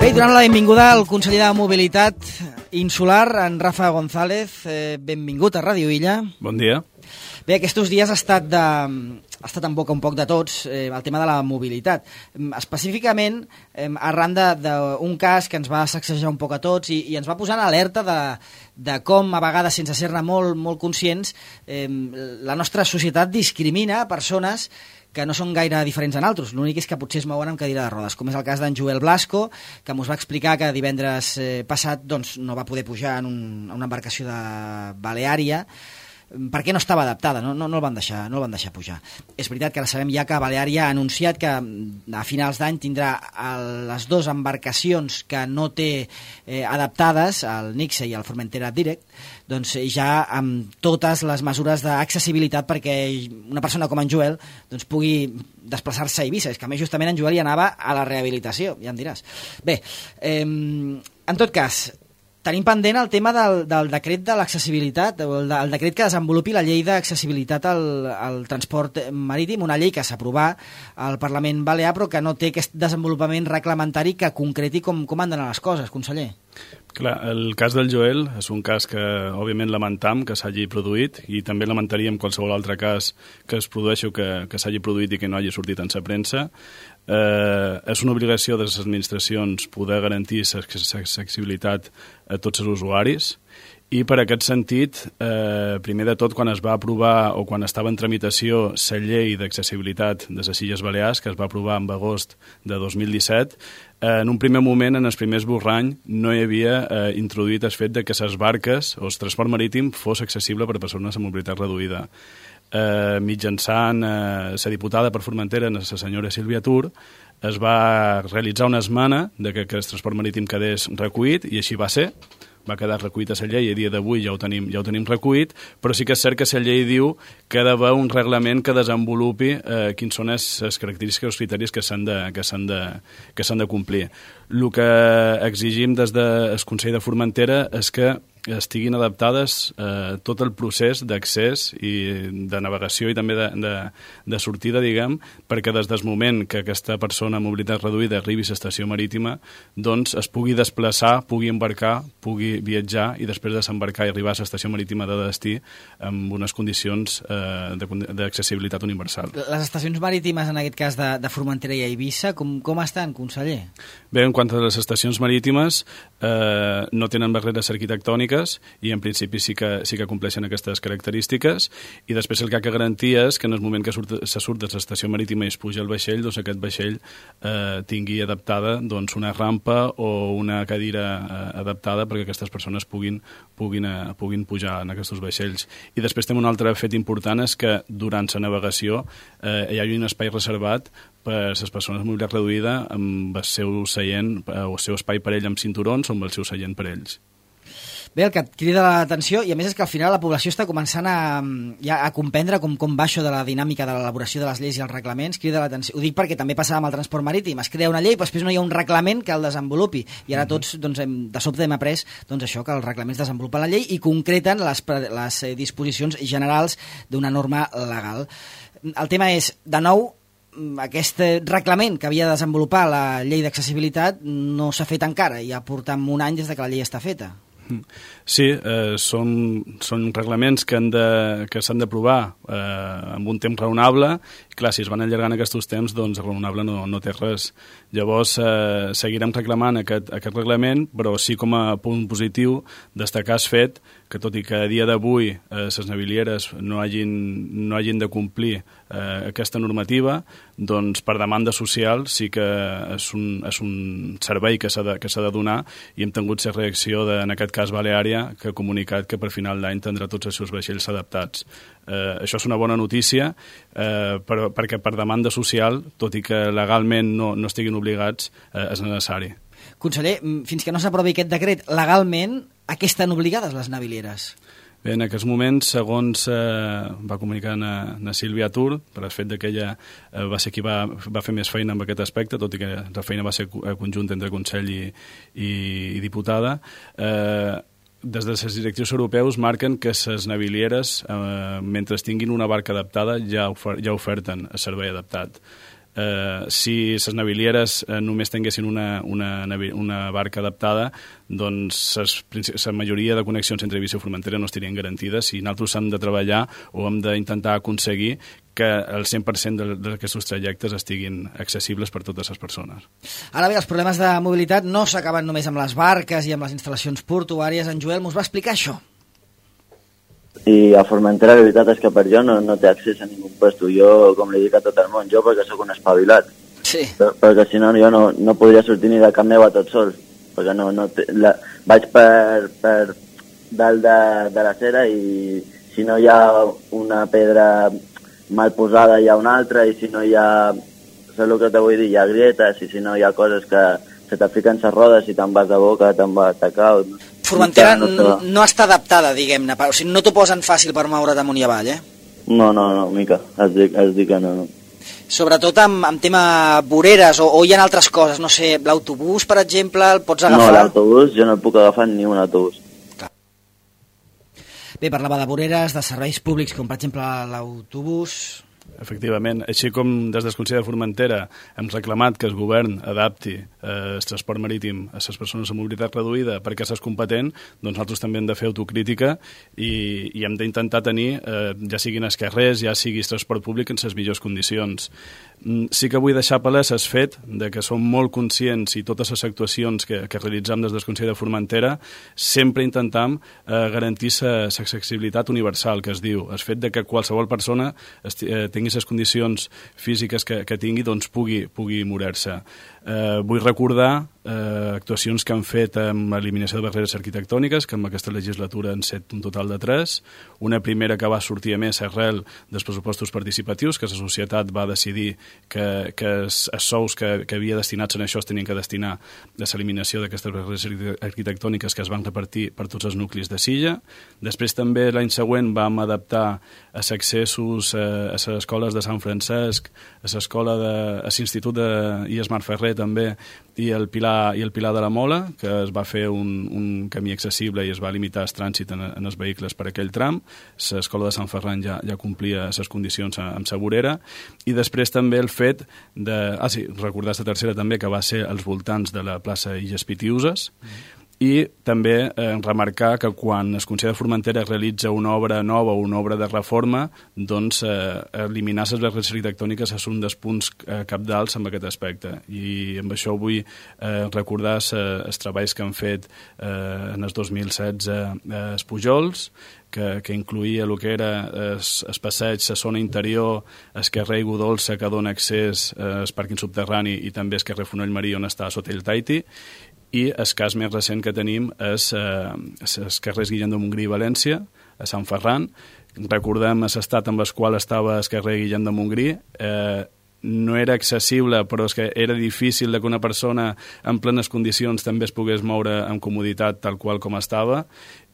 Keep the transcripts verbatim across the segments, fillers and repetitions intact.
Bé, donant la benvinguda al conseller de Mobilitat Insular, en Rafa González. Eh, benvingut a Ràdio Illa. Bon dia. Bé, aquests dies ha estat, de, ha estat en boca un poc de tots eh, el tema de la mobilitat. Específicament, eh, arran d'un cas que ens va sacsejar un poc a tots i, i ens va posar en alerta de, de com, a vegades, sense ser-ne molt, molt conscients, eh, la nostra societat discrimina persones que no són gaire diferents en altres. L'únic és que potser es mouen amb cadira de rodes, com és el cas d'en Joel Blasco, que mos va explicar que divendres eh, passat doncs, no va poder pujar en un, en una embarcació de Baleària perquè no estava adaptada, no, no, no, el van deixar, no el van deixar pujar. És veritat que ara sabem ja que Baleària ha anunciat que a finals d'any tindrà les dues embarcacions que no té eh, adaptades, el Nixe i el Formentera Direct, doncs ja amb totes les mesures d'accessibilitat perquè una persona com en Joel doncs, pugui desplaçar-se a Eivissa. És que a més justament en Joel hi anava a la rehabilitació, ja em diràs. Bé, eh, en tot cas, tenim pendent el tema del, del decret de l'accessibilitat, el, el decret que desenvolupi la llei d'accessibilitat al, al transport marítim, una llei que s'aprovà al Parlament Balear però que no té aquest desenvolupament reglamentari que concreti com, com han d'anar les coses, conseller. Clar, el cas del Joel és un cas que, òbviament, lamentam que s'hagi produït i també lamentaríem qualsevol altre cas que es produeixi o que, que s'hagi produït i que no hagi sortit en sa premsa. Eh, és una obligació de les administracions poder garantir l'accessibilitat a tots els usuaris i per aquest sentit, eh, primer de tot, quan es va aprovar o quan estava en tramitació la llei d'accessibilitat de les Illes Balears, que es va aprovar en agost de dos mil disset, eh, en un primer moment, en el primer esborrany, no hi havia eh, introduït el fet de que les barques o el transport marítim fos accessible per a persones amb mobilitat reduïda. Eh, mitjançant eh, la diputada per Formentera, la senyora Sílvia Tur, es va realitzar una esmena de que, que el transport marítim quedés recollit i així va ser. Va quedar recollit a la llei i a dia d'avui ja ho tenim, ja ho tenim recollit, però sí que és cert que la llei diu que ha d'haver un reglament que desenvolupi eh, quins són les, les característiques i els criteris que s'han de, que s'han de, que s'han de complir. El que exigim des del Consell de Formentera és que estiguin adaptades eh, tot el procés d'accés i de navegació i també de, de, de sortida, diguem, perquè des del moment que aquesta persona amb mobilitat reduïda arribi a l'estació marítima, doncs es pugui desplaçar, pugui embarcar, pugui viatjar i després de s'embarcar i arribar a l'estació marítima de destí amb unes condicions eh, d'accessibilitat universal. Les estacions marítimes, en aquest cas de, de Formentera i Eivissa, com, com estan, conseller? Bé, en quant a les estacions marítimes, eh, no tenen barreres arquitectòniques i en principi sí que, sí que compleixen aquestes característiques i després el que ha de garantir és que en el moment que surt, se surt de l'estació marítima i es puja al vaixell, doncs aquest vaixell eh, tingui adaptada doncs, una rampa o una cadira eh, adaptada perquè aquestes persones puguin, puguin, eh, puguin pujar en aquests vaixells. I després tenim un altre fet important, és que durant la navegació eh, hi ha un espai reservat per a les persones amb mobilitat reduïda amb el seu seient o el seu espai per ell amb cinturons o amb el seu seient per ells. Bé, el que et crida l'atenció, i a més és que al final la població està començant a, ja, a comprendre com, com va això de la dinàmica de l'elaboració de les lleis i els reglaments, crida l'atenció. Ho dic perquè també passava amb el transport marítim, es crea una llei, però després no hi ha un reglament que el desenvolupi, i ara tots doncs, hem, de sobte hem après doncs, això, que els reglaments desenvolupen la llei i concreten les, les disposicions generals d'una norma legal. El tema és, de nou, aquest reglament que havia de desenvolupar la llei d'accessibilitat no s'ha fet encara, i ja portem un any des de que la llei està feta. Sí, eh, són, són reglaments que, han de, que s'han d'aprovar eh, amb un temps raonable. Clar, si es van allargant aquests temps, doncs raonable no, no té res. Llavors, eh, seguirem reclamant aquest, aquest reglament, però sí com a punt positiu destacar el fet que tot i que a dia d'avui eh, les navilieres no hagin, no hagin de complir eh, aquesta normativa, doncs per demanda social sí que és un, és un servei que s'ha de, que s'ha de donar i hem tingut la reacció de, en aquest cas Baleària, que ha comunicat que per final d'any tindrà tots els seus vaixells adaptats. Eh, això és una bona notícia eh, per, perquè per demanda social, tot i que legalment no, no estiguin obligats, eh, és necessari. Conseller, fins que no s'aprovi aquest decret, legalment, a què estan obligades les navilieres? Bé, en aquests moments, segons eh, va comunicar na, na Sílvia Tur, per el fet que ella eh, va ser qui va, va fer més feina en aquest aspecte, tot i que la feina va ser conjunta entre Consell i, i, i diputada, eh, des de les directius europeus marquen que les navilieres, eh, mentre tinguin una barca adaptada, ja, ofer ja oferten el servei adaptat. Eh, si les navilieres eh, només tinguessin una, una, una barca adaptada, doncs la majoria de connexions entre Eivissa i Formentera no estarien garantides i nosaltres hem de treballar o hem d'intentar aconseguir que el cent per cent d'aquests trajectes estiguin accessibles per totes les persones. Ara bé, els problemes de mobilitat no s'acaben només amb les barques i amb les instal·lacions portuàries. En Joel mos va explicar això. I a Formentera la veritat és que per jo no, no té accés a ningú puesto. Jo, com li dic a tot el món, jo perquè sóc un espavilat. Sí. Per, perquè si no, jo no, no podria sortir ni de Camp Neu a tot sol. Perquè no, no té, la, vaig per, per dalt de, de la cera i si no hi ha una pedra mal posada hi ha una altra i si no hi ha, saps el que te vull dir, hi ha grietes i si no hi ha coses que se te fiquen les rodes i te'n vas de boca, te'n vas de cau. Formentera no, no, no està adaptada, diguem-ne, o sigui, no t'ho posen fàcil per moure't amunt i avall, eh? No, no, no, mica, es dic, es dic que no, no. Sobretot amb, amb tema voreres o, o hi ha altres coses, no sé, l'autobús, per exemple, el pots agafar? No, l'autobús, jo no puc agafar ni un autobús. Bé, parlava de voreres, de serveis públics, com per exemple l'autobús. Efectivament, així com des del Consell de Formentera hem reclamat que el govern adapti eh, el transport marítim a les persones amb mobilitat reduïda perquè s'és competent, doncs nosaltres també hem de fer autocrítica i, i hem d'intentar tenir, eh, ja siguin els carrers, ja sigui el transport públic en les millors condicions. Sí que vull deixar palès el fet de que som molt conscients i totes les actuacions que, que realitzem des del Consell de Formentera sempre intentam eh, garantir l'accessibilitat universal, que es diu, el fet de que qualsevol persona eh, tingui les condicions físiques que, que tingui, doncs pugui, pugui moure-se. Eh, vull recordar eh, actuacions que han fet amb eliminació de barreres arquitectòniques, que en aquesta legislatura han set un total de tres. Una primera que va sortir a més arrel dels pressupostos participatius, que la societat va decidir que, que els, els sous que, que havia destinats en això es tenien que destinar a l'eliminació d'aquestes barreres arquitectòniques que es van repartir per tots els nuclis de Silla. Després també l'any següent vam adaptar els accessos a les escoles de Sant Francesc, a l'escola de, a l'Institut de I E S Marferrer també, i el Pilar i el Pilar de la Mola, que es va fer un, un camí accessible i es va limitar el trànsit en, en els vehicles per aquell tram. L'escola de Sant Ferran ja, ja complia les condicions amb sa vorera. I després també el fet de... Ah, sí, recordar la tercera també, que va ser als voltants de la plaça Illes Pitiuses. Mm. I també eh, remarcar que quan el Consell de Formentera realitza una obra nova o una obra de reforma, doncs eh, eliminar les barreres arquitectòniques és un dels punts eh, capdals amb aquest aspecte. I amb això vull eh, recordar els treballs que han fet eh, en el dos mil setze eh, els Pujols, que, que incluïa el que era el passeig, la zona interior, el carrer Godolça, que dona accés al pàrquing subterrani, i també el carrer Fonoll Marí, on està Sotell Taiti. I el cas més recent que tenim és eh, els carrers Guillem de Montgrí i València, a Sant Ferran. Recordem l'estat amb el qual estava el carrer Guillem de Montgrí. Eh, no era accessible, però és que era difícil que una persona en plenes condicions també es pogués moure amb comoditat tal qual com estava,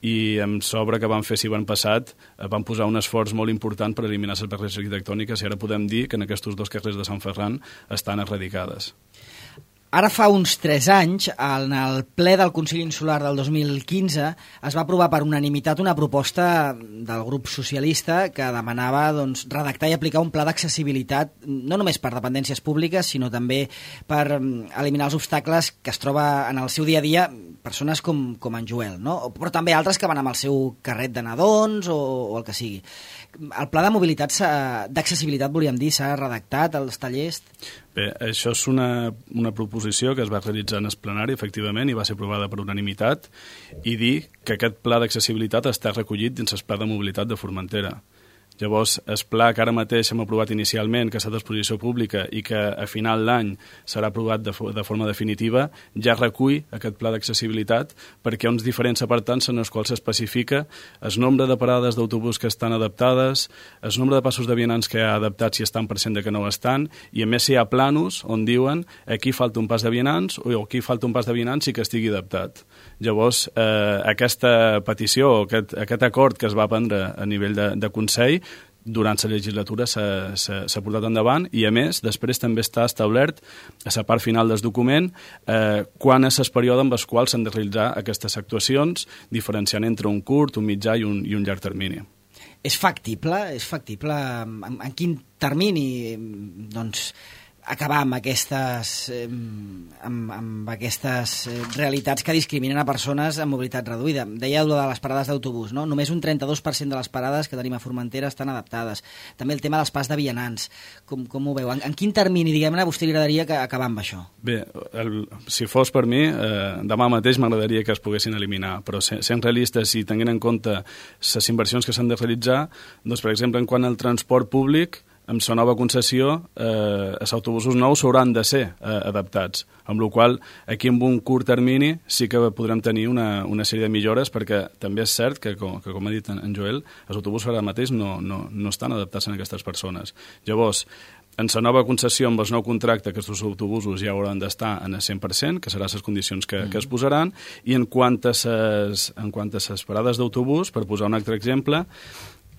i amb l'obra que van fer si van passat van posar un esforç molt important per eliminar les barreres arquitectòniques, i ara podem dir que en aquests dos carrers de Sant Ferran estan erradicades. Ara fa uns tres anys, en el ple del Consell Insular del dos mil quinze, es va aprovar per unanimitat una proposta del grup socialista que demanava doncs, redactar i aplicar un pla d'accessibilitat no només per dependències públiques, sinó també per eliminar els obstacles que es troba en el seu dia a dia persones com, com en Joel, no? Però també altres que van amb el seu carret de nadons o, o el que sigui. El pla de mobilitat, d'accessibilitat, volíem dir, s'ha redactat als tallers? Bé, això és una, una proposició que es va realitzar en el plenari, efectivament, i va ser aprovada per unanimitat, i dir que aquest pla d'accessibilitat està recollit dins el pla de mobilitat de Formentera. Llavors, el pla que ara mateix hem aprovat inicialment, que està a disposició pública i que a final d'any serà aprovat de, de forma definitiva, ja recull aquest pla d'accessibilitat, perquè hi ha uns diferents apartats en els quals s'especifica el nombre de parades d'autobús que estan adaptades, el nombre de passos de vianants que hi ha adaptats si estan per cent de que no estan, i a més hi ha planos on diuen aquí falta un pas de vianants o aquí falta un pas de vianants i que estigui adaptat. Llavors, eh, aquesta petició, aquest, aquest acord que es va prendre a nivell de, de Consell, durant la legislatura s'ha portat endavant, i a més després també està establert a la part final del document eh, quan és el període amb els quals s'han de realitzar aquestes actuacions, diferenciant entre un curt, un mitjà i un, i un llarg termini. És factible? És factible? En, en quin termini doncs, acabar amb aquestes, eh, amb, amb aquestes eh, realitats que discriminen a persones amb mobilitat reduïda. Dèieu de les parades d'autobús, no? Només un trenta-dos per cent de les parades que tenim a Formentera estan adaptades. També el tema dels pas de vianants. Com, com ho veu? En, en quin termini, diguem-ne, a vostè li agradaria que acabar amb això? Bé, el, si fos per mi, eh, demà mateix m'agradaria que es poguessin eliminar, però sent, sent realistes i tenint en compte les inversions que s'han de realitzar, doncs, per exemple, en quant al transport públic, amb la nova concessió, eh, els autobusos nous hauran de ser eh, adaptats, amb la qual aquí en un curt termini sí que podrem tenir una, una sèrie de millores, perquè també és cert que, com, que, com ha dit en, en Joel, els autobusos ara mateix no, no, no estan adaptats a aquestes persones. Llavors, en la nova concessió, amb el nou contracte, aquests autobusos ja hauran d'estar en el cent per cent, que seran les condicions que, mm. que es posaran, i en quant a ses, en quant a les parades d'autobús, per posar un altre exemple,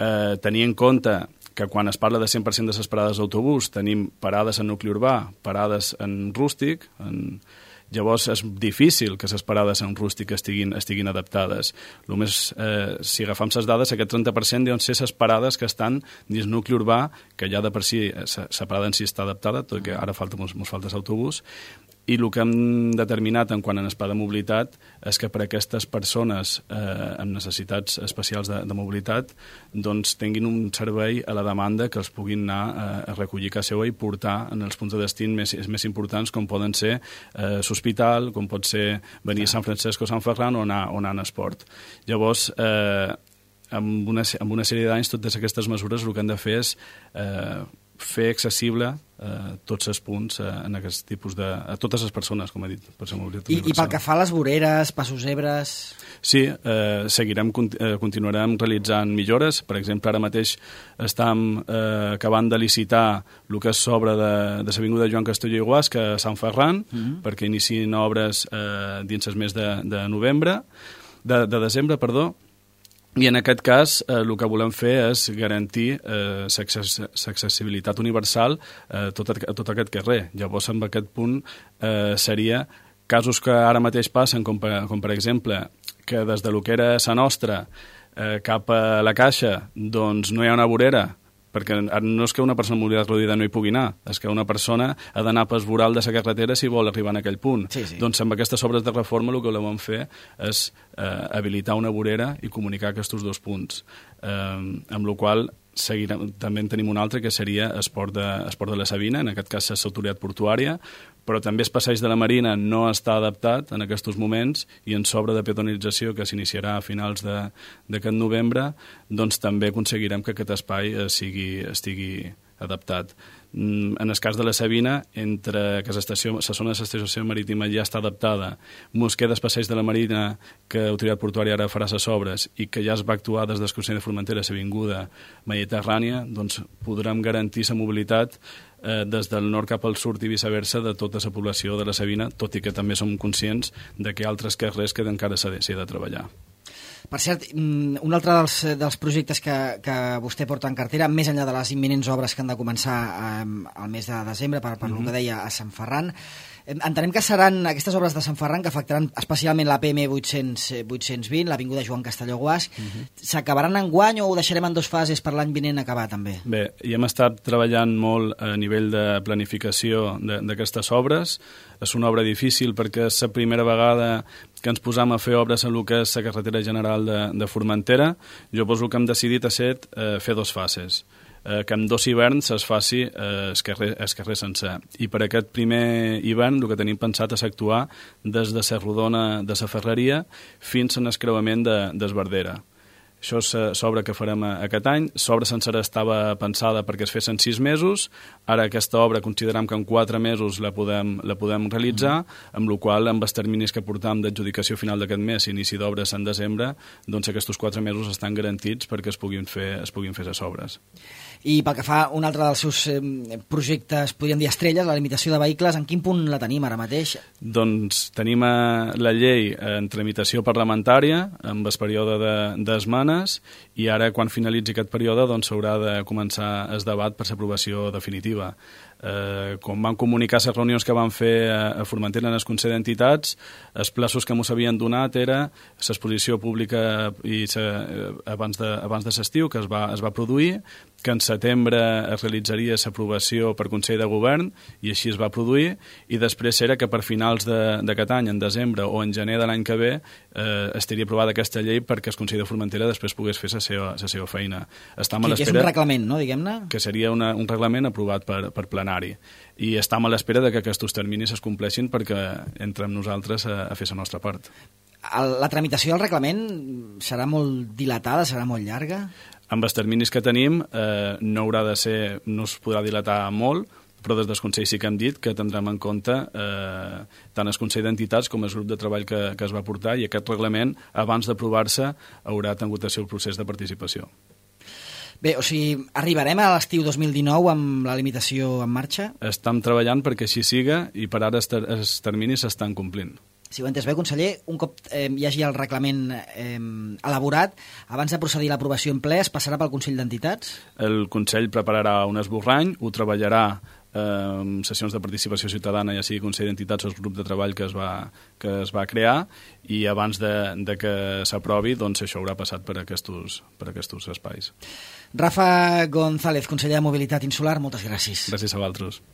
eh, tenir en compte que quan es parla de cent per cent de les parades d'autobús tenim parades en nucli urbà, parades en rústic, en... llavors és difícil que les parades en rústic estiguin, estiguin adaptades. Només, eh, si agafam les dades, aquest trenta per cent deuen ser les parades que estan dins nucli urbà, que ja de per si la parada en si està adaptada, tot que ara falta, mos, mos falta l'autobús, i el que hem determinat en quant a l'espai de mobilitat és que per a aquestes persones eh, amb necessitats especials de, de mobilitat doncs tinguin un servei a la demanda que els puguin anar eh, a recollir a casa seva i portar en els punts de destí més, més importants, com poden ser eh, l'hospital, com pot ser venir a Sant Francesc o Sant Ferran o anar, o anar en esport. Llavors, eh, amb, una, amb una sèrie d'anys, totes aquestes mesures el que han de fer és eh, fer accessible eh, tots els punts eh, en aquest tipus de... a totes les persones, com he dit. Per I, I pel que fa a les voreres, passos zebres... Sí, eh, seguirem, eh, continuarem realitzant millores. Per exemple, ara mateix estem eh, acabant de licitar el que és l'obra de, de l'avinguda Joan Castelló i Guasca a Sant Ferran, mm-hmm. perquè iniciïn obres eh, dins el mes de, de novembre, de, de desembre, perdó. I en aquest cas eh, el que volem fer és garantir eh, l'accessibilitat universal eh, tot, a tot aquest carrer. Llavors, en aquest punt eh, seria casos que ara mateix passen, com per, com per exemple que des de lo que era Sa Nostra eh, cap a la Caixa doncs no hi ha una vorera, perquè no és que una persona amb mobilitat reduïda no hi pugui anar, és que una persona ha d'anar pel voral de la carretera si vol arribar en aquell punt. Sí, sí. Doncs amb aquestes obres de reforma el que volem fer és eh, habilitar una vorera i comunicar aquests dos punts, eh, amb la qual seguirem, també en tenim un altre que seria Esport de, Esport de la Sabina, en aquest cas és l'autoritat portuària, però també el passeig de la Marina no està adaptat en aquests moments i en s'obra de peatonalització que s'iniciarà a finals d'aquest novembre, doncs també aconseguirem que aquest espai eh, sigui, estigui adaptat. En el cas de la Sabina, entre que l'estació, la zona de l'estació marítima ja està adaptada, mos queda el passeig de la Marina, que l'autoritat portuària ara farà les obres i que ja es va actuar des del Consell de Formentera a l'avinguda Mediterrània, doncs podrem garantir la mobilitat eh, des del nord cap al sud i viceversa de tota la població de la Sabina, tot i que també som conscients de que altres carrers que encara s'ha de, de treballar. Per cert, un altre dels, dels projectes que, que vostè porta en cartera, més enllà de les imminents obres que han de començar eh, al mes de desembre, per, per mm-hmm. el que deia a Sant Ferran, eh, entenem que seran aquestes obres de Sant Ferran que afectaran especialment la P M vuit-cents vint, l'avinguda Joan Castelló Guasc. Mm-hmm. S'acabaran en guany o ho deixarem en dues fases per l'any vinent acabar també? Bé, hi hem estat treballant molt a nivell de planificació d'aquestes obres. És una obra difícil perquè és la primera vegada que ens posam a fer obres en el que és la carretera general de, de Formentera. Llavors el que hem decidit és eh, fer dos fases, eh, que en dos hiverns es faci eh, el, carrer, el carrer sencer. I per aquest primer hivern el que tenim pensat és actuar des de la rodona de la Ferreria fins a l'escreuament de, d'Esbardera. Això és l'obra que farem aquest any. L'obra sencera estava pensada perquè es fes en sis mesos. Ara aquesta obra considerem que en quatre mesos la podem, la podem realitzar, amb la qual amb els terminis que portam d'adjudicació final d'aquest mes i inici d'obres en desembre, doncs aquests quatre mesos estan garantits perquè es puguin fer, es puguin fer les obres. I pel que fa a un altre dels seus eh, projectes, podríem dir estrelles, la limitació de vehicles, en quin punt la tenim ara mateix? Doncs tenim la llei en tramitació parlamentària amb el període d'esmenes, i ara, quan finalitzi aquest període, doncs s'haurà de començar el debat per l'aprovació definitiva. Eh, quan van comunicar les reunions que van fer a, a Formentera en el Consell d'Entitats, els plaços que ens havien donat era l'exposició pública i sa, abans de, abans de l'estiu, que es va, es va produir, que en setembre es realitzaria l'aprovació per Consell de Govern, i així es va produir, i després era que per finals d'aquest any, en desembre o en gener de l'any que ve, eh, estaria aprovada aquesta llei perquè el Consell de Formentera després pogués fer la seva, la seva feina. Estam a que, que és un reglament, no, diguem-ne? Que seria una, un reglament aprovat per, per plenari. I estem a l'espera de que aquests terminis es compleixin perquè entrem nosaltres a, a fer la nostra part. El, la tramitació del reglament serà molt dilatada, serà molt llarga? Amb els terminis que tenim eh, no haurà de ser, no es podrà dilatar molt, però des del Consell sí que hem dit que tindrem en compte eh, tant el Consell d'Entitats com el grup de treball que, que es va portar, i aquest reglament, abans d'aprovar-se, haurà tingut el seu procés de participació. Bé, o sigui, arribarem a l'estiu dos mil dinou amb la limitació en marxa? Estem treballant perquè així siga, i per ara els, ter els terminis s'estan complint. Si ho he entès bé, conseller, un cop eh, hi hagi el reglament eh, elaborat, abans de procedir a l'aprovació en ple, es passarà pel Consell d'Entitats? El Consell prepararà un esborrany, ho treballarà eh, sessions de participació ciutadana, ja sigui Consell d'Entitats o el grup de treball que es va, que es va crear, i abans de, de que s'aprovi, doncs això haurà passat per aquests, per aquests espais. Rafa González, conseller de Mobilitat Insular, moltes gràcies. Gràcies a vosaltres.